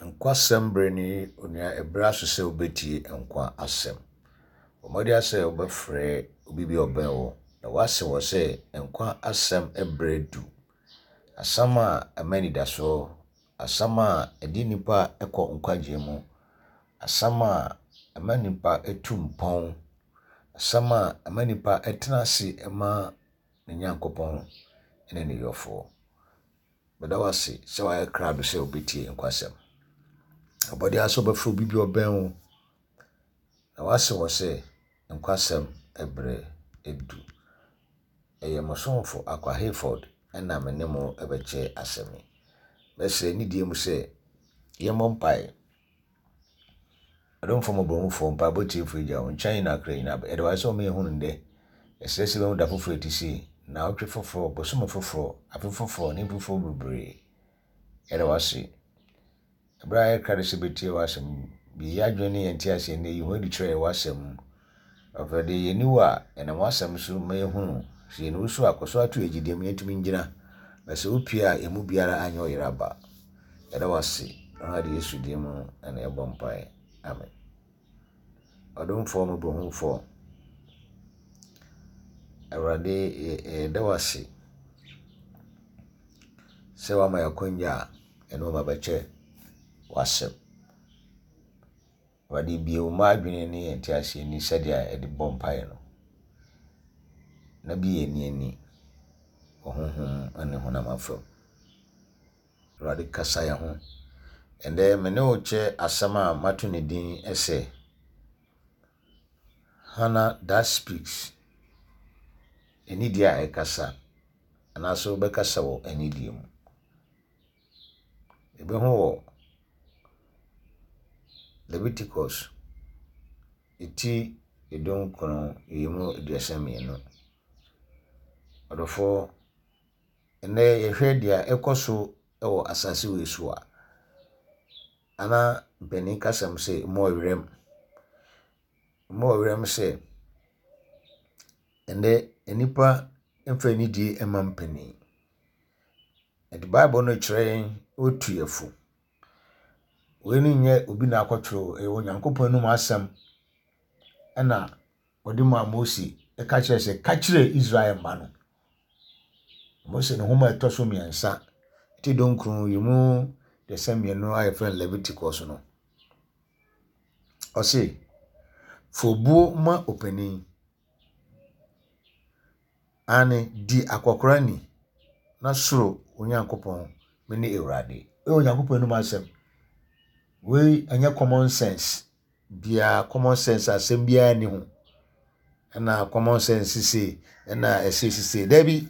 Nkwasɛm bere ni onua ɛberɛ aso sɛ wobɛtie nkwa asɛm. Bɔ mmɔden ara sɛ wobɛfrɛ obi bi a ɔbɛn wo na woase wɔ sɛ nkwa asɛm berɛ du. Asɛm a ɛma anidasoɔ, asɛm a ɛde nnipa kɔ nkwagyeɛ mu, asɛm a ɛma nnipa tu mpɔn, asɛm a ɛma nnipa tena ase ma ne Nyankopɔn ne ne yɔfoɔ. Meda wo ase sɛ woayɛ krado sɛ wobɛtie nkwasɛm. Abɔde ara sɛ wobɛfrɛ obi bi ɔbɛn wo na woase wɔ sɛ nkwasɛm ɛberɛ adu. Ɛyɛ mo somfo Akwa Hayford na me ne mo bɛkyɛ asɛm yi. Mɛsrɛ nidie mu sɛ yɛmmɔ mpaeɛ. Ɔdomfoɔ mmɔborɔhufoɔ, mpaebɔ tiefoɔ Agya, wo nkyɛn na akra nyinaa ba. Yɛda wo ase sɛ woma yɛhunu nnɛ. Yɛsrɛ sɛ yɛbɛhu da foforɔ a ɛte sei, nnawɔtwe foforɔ, bosome foforɔ, afe foforɔ, ne mfe foforɔ bebree. Yɛda wo ase. Ɛberɛ a yɛkra de sɛ bɛtie w'asɛm yi, bue yɛn adwene ne yɛn nteaseɛ nnɛ, yi ho adi kyerɛ yɛn w'asɛm mu. Awurade, yɛnni wo a, yɛnam w'asɛm so ma yɛhunu. Sɛ yɛnni wo so a, kɔ so ara to yɛn gyidie mu, yɛntumi ngyina. Na sɛ wopue a, yɛn mu biara anyɛ ɔyera aba. Yɛda wo ase, Awurade Yesu din mu na yɛbɔ mpae. Amen. Ɔdomfoɔ mmɔborɔhunufoɔ, Awurade yɛda wo ase sɛ woama yɛn akwanya a yɛne wo ba bɛkyɛ w'asɛm. Awurade bue wo mma adwene ne yɛn nteaseɛ ani sɛdeɛ yɛde bɔ mpaeɛ no, na bue yɛn ani wɔ honhom ne honam afam. Awurade kasa yɛn ho. Ɛndɛ me ne wo kyɛ asɛm a mato ne din sɛ Hannah that speaks. Anidie a ɛkasa, anaasɛ wobɛkasa wɔ anidie mu. Yɛbɛhu wɔ Leviticus ti 19 nyiyimu 32. Ɔdɔfoɔ, ɛnnɛ yɛhwɛ deɛ ɛkɔ so wɔ asase wei so a, ana mpanin kasɛm sɛ mu ɔwerɛm. Mu ɔwerɛm sɛ ɛnnɛ nnipa mfa anidie mma mpanin. Ɛde Bible no kyerɛ yɛn otu yɛn fo. Wei no nyɛ obi na akɔtwerɛ o, ɛyɛ Onyankopɔn anom asɛm ɛna ɔde maa Mose ɛka kyerɛ sɛ ka kyerɛ Israel mma no. Mose ne nhoma a ɛtɔ so mmiɛnsa ti dunkron yi mu dɛsɛ mmienu a yɛfrɛ no Leviticus no. Ɔse, fa obuo ma ɔpanin Aane, di akɔkora ni, na suro wo Nyankopɔn, mene Awurade. Wei yɛ Onyankopɔn anom asɛm. Wei ɛnyɛ common sense biara, common sense asɛm biara nni ho. Ɛna common sense sise, ɛna ɛsɛ sise. Dabi,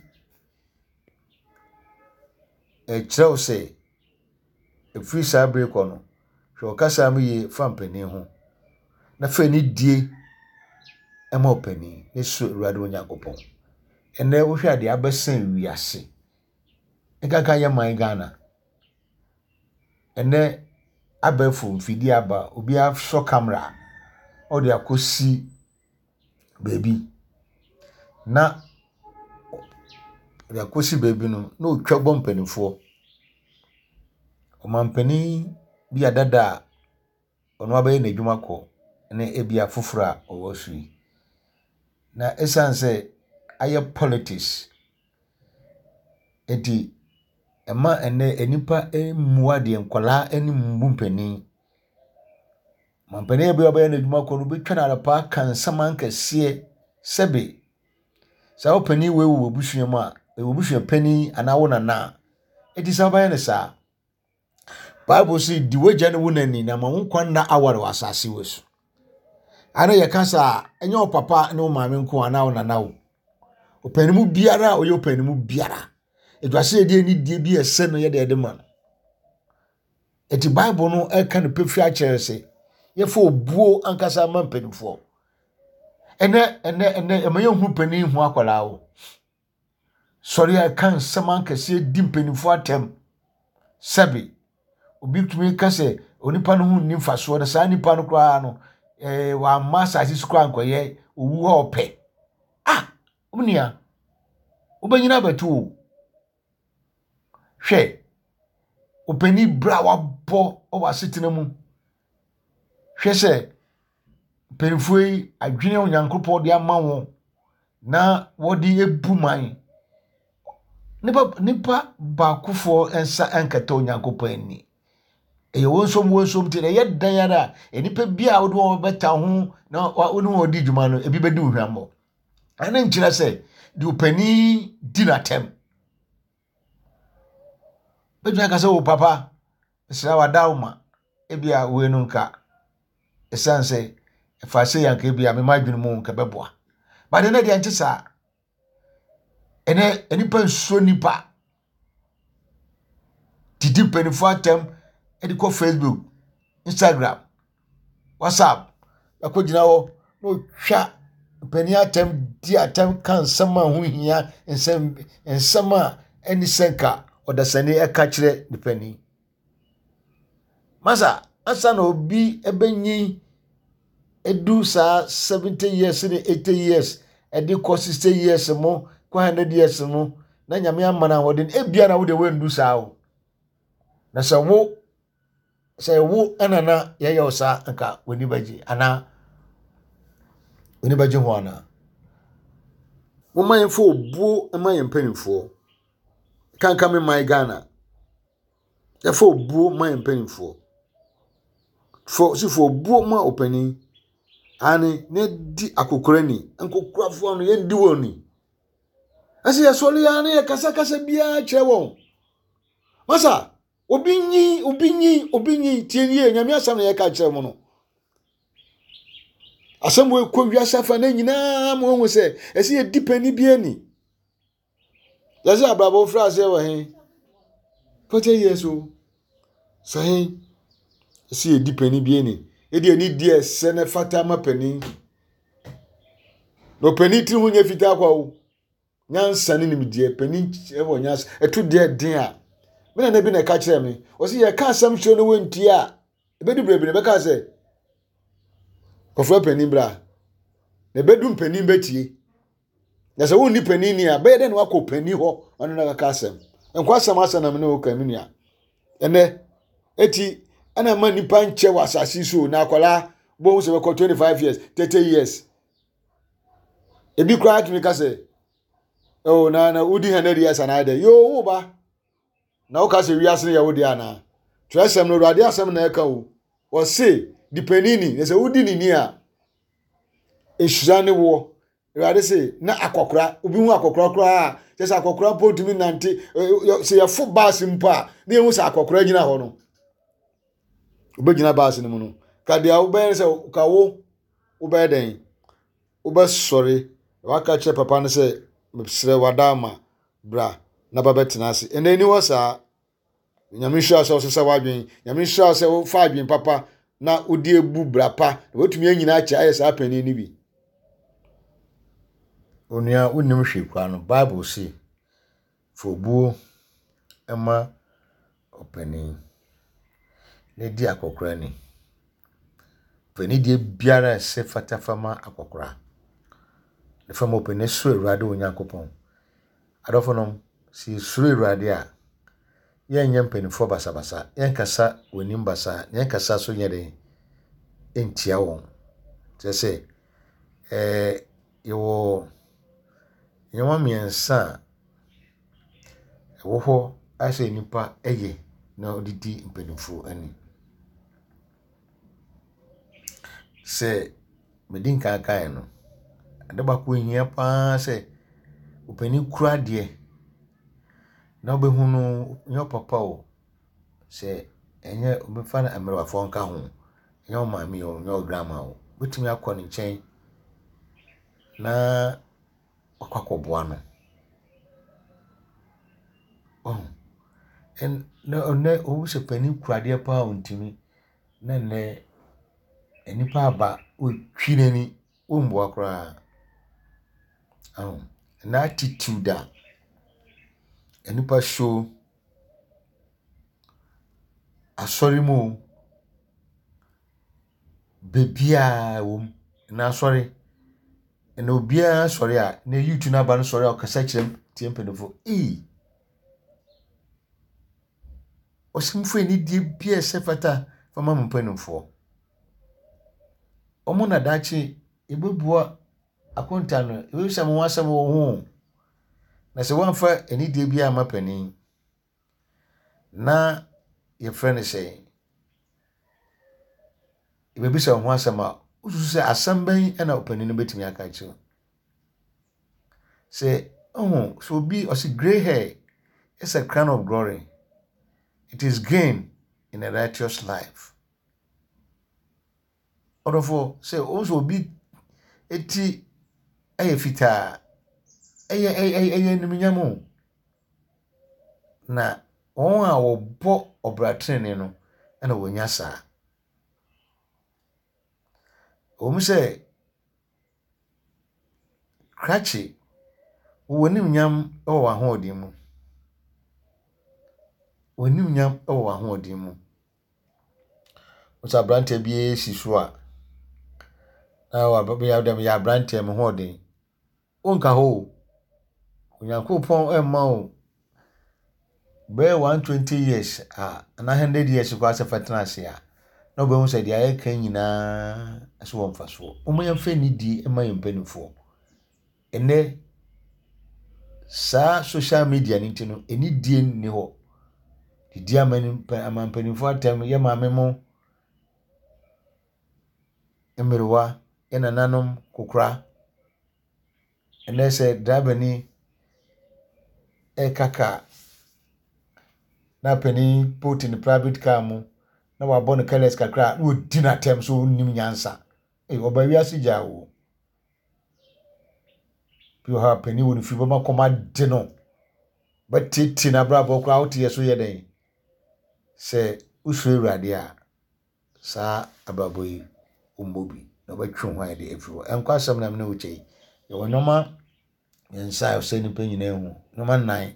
ɛkyerɛ wo sɛ Ɛfiri saa berɛ yi kɔ no, hwɛ wo kasa mu yie fa mpanin ho, na fa anidie ma ɔpanin, ne suro Awurade wo Nyankopɔn. Ɛnnɛ wohwɛ a deɛ abɛsɛn wiase, nkanka yɛ man Ghana. Ɛnnɛ abɛɛfo mfidie aba, obi asɔ camera ɔde akɔsi baabi na ɔde akɔsi baabi no, na ɔretwa bɔ mpanimfoɔ. Ɔmampanin bi a dada a ɔno abɛyɛ n'adwuma kɔ ne ebia foforɔ a ɔwɔ so yi. Na ɛsiane sɛ ayɛ politics nti, ɛma nnɛ nnipa mmu adeɛ, nkwadaa anim mmu mpanin. Ɔmampanin bi a ɔbɛyɛ n'adwuma kɔ no, wobɛtwa no adapaa aka nsɛm akɛseɛ sɛbe saa ɔpanin wei wɔ w'abusua mu a, ɛyɛ w'abusua panin anaa wo nana a, ɛti sɛ wobɛyɛ no saa. Bible sɛ di w'agya ne wo na ni na ma wo nkwa nna aware wɔ asase wɔ so. Ana yɛka saa ɛnyɛ wo papa ne wo maame nko anaa wo nana wo. Ɔpanin mu biara a ɔyɛ ɔpanin mu biara, ɛdwase yɛde anidie bi a ɛsɛ no yɛde ɛde ma no. Enti Bible no ɛka no pefee akyerɛ sɛ yɛfa obuo ankasa ma mpanimfoɔ. Ɛnɛ ɛnɛ ɛnɛ ɛma yɛnhu panin hu akwadaa o. Sɔre a ɛka nsɛm ankɛseɛ di mpanimfoɔ atɛm. Sɛbe obi tumi ka sɛ onipa no ho nni mfasoɔ na saa nipa no koraa no ɛɛ wamma asase so koraa nkɔyɛ owu a ɔpɛ. Ah, onua, wobɛnyina abɛto o. Hwɛ, ɔpanin berɛ a wabɔ wabɔ wɔ asetena mu. Hwɛ sɛ mpanimfoɔ yi adwene a Onyankopɔn de ama wɔn na wɔde abu man. Nipa nipa baakofoɔ nsa nkata Onyankopɔn ani. Ɛyɛ wɔn nso wɔn nso nti na ɛyɛ dan ara a nnipa bi a wode wɔn bɛta ho na wo ne wɔn di dwuma no ebi bɛdi wo hwammɔ. Ɛno nkyerɛ sɛ deɛ ɔpanin di n'atɛm. Bɛtumi aka sɛ o papa mesrɛ wo ada wo ma ebi a wei no nka ɛsiane sɛ ɛfa sɛ yɛ anka ebi a mema adwene mu nka bɛboa. But ɛnɛ deɛ ɛnte saa. Ɛnɛ nnipa nsuro nnipa. Didi mpanimfoɔ atɛm de kɔ Facebook, Instagram, WhatsApp. Akɔgyina hɔ na ɔtwa mpanin atɛm di atɛm ka nsɛm a ɛho nhia, nsɛm nsɛm a ɛnni sɛ nka ɔdasani ka kyerɛ ne panin. Masa, ansa na obi bɛnyin adu saa 70 years ne 80 years ɛde kɔ 60 years mo kɔ 100 years mo na nyame ama no ahoɔden ebia na wo deɛ woandu saa o na sɛ wo sɛ wo ɛna na yɛyɛ wo saa nka w'ani bɛgye anaa w'ani bɛgye ho anaa momma yɛmfa obuo ma yɛn mpanimfoɔ kanka me man Ghana Yɛfa obuo ma yɛn mpanimfoɔ. Fo si fa obuo ma ɔpanin. Aane, na di akɔkora ni. Nkɔkorafoɔ no, yɛndi wɔn ni. Ɛsɛ yɛsɔre ara na yɛkasakasa biara kyerɛ wɔn. Masa, obi nyi, obi nyi, obi nyi, tie nie, nyame asɛm na yɛka kyerɛ mo no. Asɛm wɔ kɔ wiase afa na nyinaa mo ahu sɛ ɛsɛ yɛdi panin bi ani. Yɛsɛ abrabɔ mfiri aseɛ wɔ he? 40 years o. Sɛ he? Ɛsɛ yɛdi panin bi ani. Ɛdi ani di ɛsɛ na ɛfata ma panin. Na ɔpanin tiri ho nyɛ fitaa kwa o. Nyansa ne nimdeɛ, panin wɔ nyansa. Ɛto deɛ den a. Me nana bi na ɛka kyerɛ me. Ɔsɛ yɛka asɛm kyerɛ no wɔntie a, ɛbɛdu berɛ bi na ɛbɛka sɛ, kɔfrɛ panin bra. Na ɛbɛdu mpanin bɛtie. Na sɛ wonni panin ni a, bɛyɛ dɛ na wakɔ panin hɔ ɔne no akaka asɛm. Nkwasɛm asɛm na me ne wo ka me nua. Ɛnɛ, eti ɛna ma nipa nkyɛ wɔ asase so na akwadaa bɔhu sɛ bɛkɔ 25 years, 30 years. Ebi koraa tumi ka sɛ, oh, na na wodi 100 years anaa dɛ. Yoo, wo ba. Na woka sɛ wiase no yɛ wo deɛ anaa? Twerɛsɛm no, Awurade asɛm na ɛka o. Ɔse, di panin ni, na sɛ wodi ne ni a, nhyira ne woɔ. Awurade se, na akɔkora, obi hu akɔkora koraa a, kyɛ sɛ akɔkora mpo ntumi nante, sɛ yɛfo baase mpo a, na yɛhu sɛ akɔkora gyina hɔ no. Wobɛgyina baase no mu no, ka deɛ wobɛyɛ sɛ, ka wo, wobɛyɛ dɛn? Wobɛsɔre, na waka kyerɛ papa no sɛ, mesrɛ wada ama, bra na ba bɛtena ase. Ɛnna ɛni hɔ saa. Nyame nhyira sɛ ɔsesa w'adwen. Nyame nhyira sɛ wofa adwen papa na wode abu bra pa na watumi anyina akyɛ ayɛ saa panin no bi. Onua, wonnim hwee koraa no, Bible se, fa obuo ma ɔpanin na di akɔkora ni. Fa anidie biara a ɛsɛ fata fa ma akɔkora. Na fa ma ɔpanin suro Awurade wo Nyankopɔn. Adɔfonom, sɛ yɛsuro Awurade a, yɛnyɛ mpanimfoɔ basabasa, yɛnkasa wɔn anim basaa, na yɛnkasa so nyɛ den ntia wɔn. Kyerɛ sɛ, ɛɛ yɛwɔ nneɛma mmiɛnsa a ɛwɔ hɔ a sɛ nnipa yɛ na wɔde di mpanimfoɔ ani. Sɛ medi nkan kaeɛ no, ade baako a ɛhia pa ara sɛ ɔpanin kura adeɛ na wobɛhu no nyɛ wo papa o, sɛ ɛnyɛ wɔbɛfa no mmerewafoɔ nka ho, ɛnyɛ wo maame o, ɛnyɛ wo grandma o, wobɛtumi akɔ ne nkyɛn na wakɔ akɔboa no. Wahu? Ɛn na nnɛ wohu sɛ panin kura adeɛ paa a ɔntumi. Na nnɛ nnipa aba wɔretwi n'ani, wɔmmoa koraa. Wahu? Ɛnnɛ attitude a nnipa show asɔre mu o, Baabiara wɔ mu. Na asɔre, na obiara sɔre a, na youth no aba no sɔre a ɔkasa kyerɛ tie mpanyinfoɔ. Ei! Ɔse momfa anidie biara a ɛsɛ fata fa ma mo mpanimfoɔ. Wɔn na daakye yɛbɛbua akonta no, yɛbɛbisa mo ho asɛm wɔ ho. Na sɛ woamfa anidie biara amma panin na yɛfrɛ no sɛ yɛbɛbisa wo ho asɛm a, wosusu sɛ asɛm bɛn na ɔpanin no bɛtumi aka akyerɛ wo? Sɛ ɔho sɛ obi ɔse grey hair is a crown of glory, it is gain in a righteous life. Ɔdɔfoɔ, sɛ wohu sɛ obi ti yɛ fitaa a, ɛyɛ ɛyɛ ɛyɛ animuonyam o. Na wɔn a wɔbɔ ɔbra tenenee no na wɔnya saa. Ɛwom sɛ krakye, wowɔ animuonyam wɔ w'ahoɔden mu. Wɔ animuonyam wɔ w'ahoɔden mu. Wohu sɛ aberanteɛ bi si so a, na waba dɛ meyɛ aberanteɛ me ho ɔden. Wonka hɔ o. Onyankopɔn mma wo bɛyɛ 120 years a anaa 100 years koraa sɛ fa tena ase a, na wobɛhu sɛ deɛ ayɛ ka nyinaa so wɔ mfasoɔ. Momma yɛmfa anidie mma yɛn mpanimfoɔ. Ɛnnɛ, saa social media no nti no, anidie nni hɔ. Didi ama mpanimfoɔ atɛm, yɛ maame mo mmerewa, yɛ nananom kokora. Ɛnnɛ sɛ drabani reka kaa na panin mpo te ne private car mu na wabɔ no careless kakra a, na wadi no atɛm sɛ ɔnnim nyansa. Ei, ɔba wiase gyaa wo. Bi wɔ hɔ a panin wɔ ne fie bɛma kɔm ade no. Bɛtete n'abrabɔ koraa wote yɛ so yɛ dɛn? Sɛ wosuro Awurade a, saa abrabɔ yi wommɔ bi na wobɛtwe wo ho ayɛ de afiri hɔ. Ɛnkɔ asɛm na mene wo kyɛ yi. Yɛwɔ nneɛma mmiɛnsa a ɛsɛ nnipa nyinaa hu. Nneɛma nnan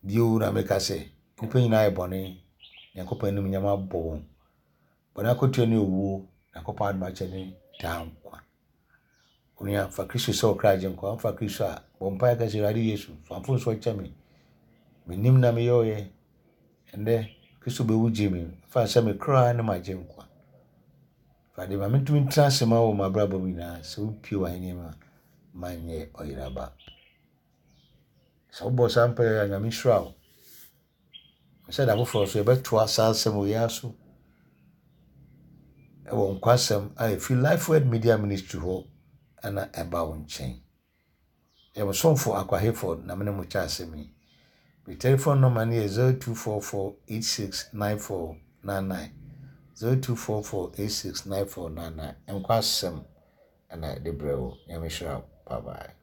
bio na meka sɛ nnipa nyinaa yɛ bɔne. Nyankopɔn anim nyama abɔ wɔn. Bɔne akatua ne owuo, Nyankopɔn adom akyɛ ne daa nkwa. Onua, fa Kristo sɛ wo kra agyenkwa. Wofa Kristo a, bɔ mpaeɛ ka sɛ, Awurade Yesu, fa mfomsoɔ kyɛ me. Mennim na meyɛeɛ. Ɛnnɛ, Kristo bɛwu gye me. Fa sɛ me kra ne m'agyenkwa. Awurade, ma mentumi ntena ase ma wo wɔ m'abrabɔ mu nyinaa. Sɛ wopue w'ahenni mu a, manyɛ ɔyeraba. Sɛ wobɔ saa mpaeɛ a, Nyame nhyira wo. Sɛ da foforɔ nso yɛbɛtoa saa asɛm wei ara so wɔ nkwasɛm a ɛfiri Life Word Media Ministry hɔ na ɛba wo nkyɛn. Yɛ mo somfo Akwa Hayford na me ne mo kyɛ asɛm yi. Me telephone number no yɛ 0244869499 0244869499 nkwasɛm na ɛde brɛ wo. Nyame hyira wo. Bye bye.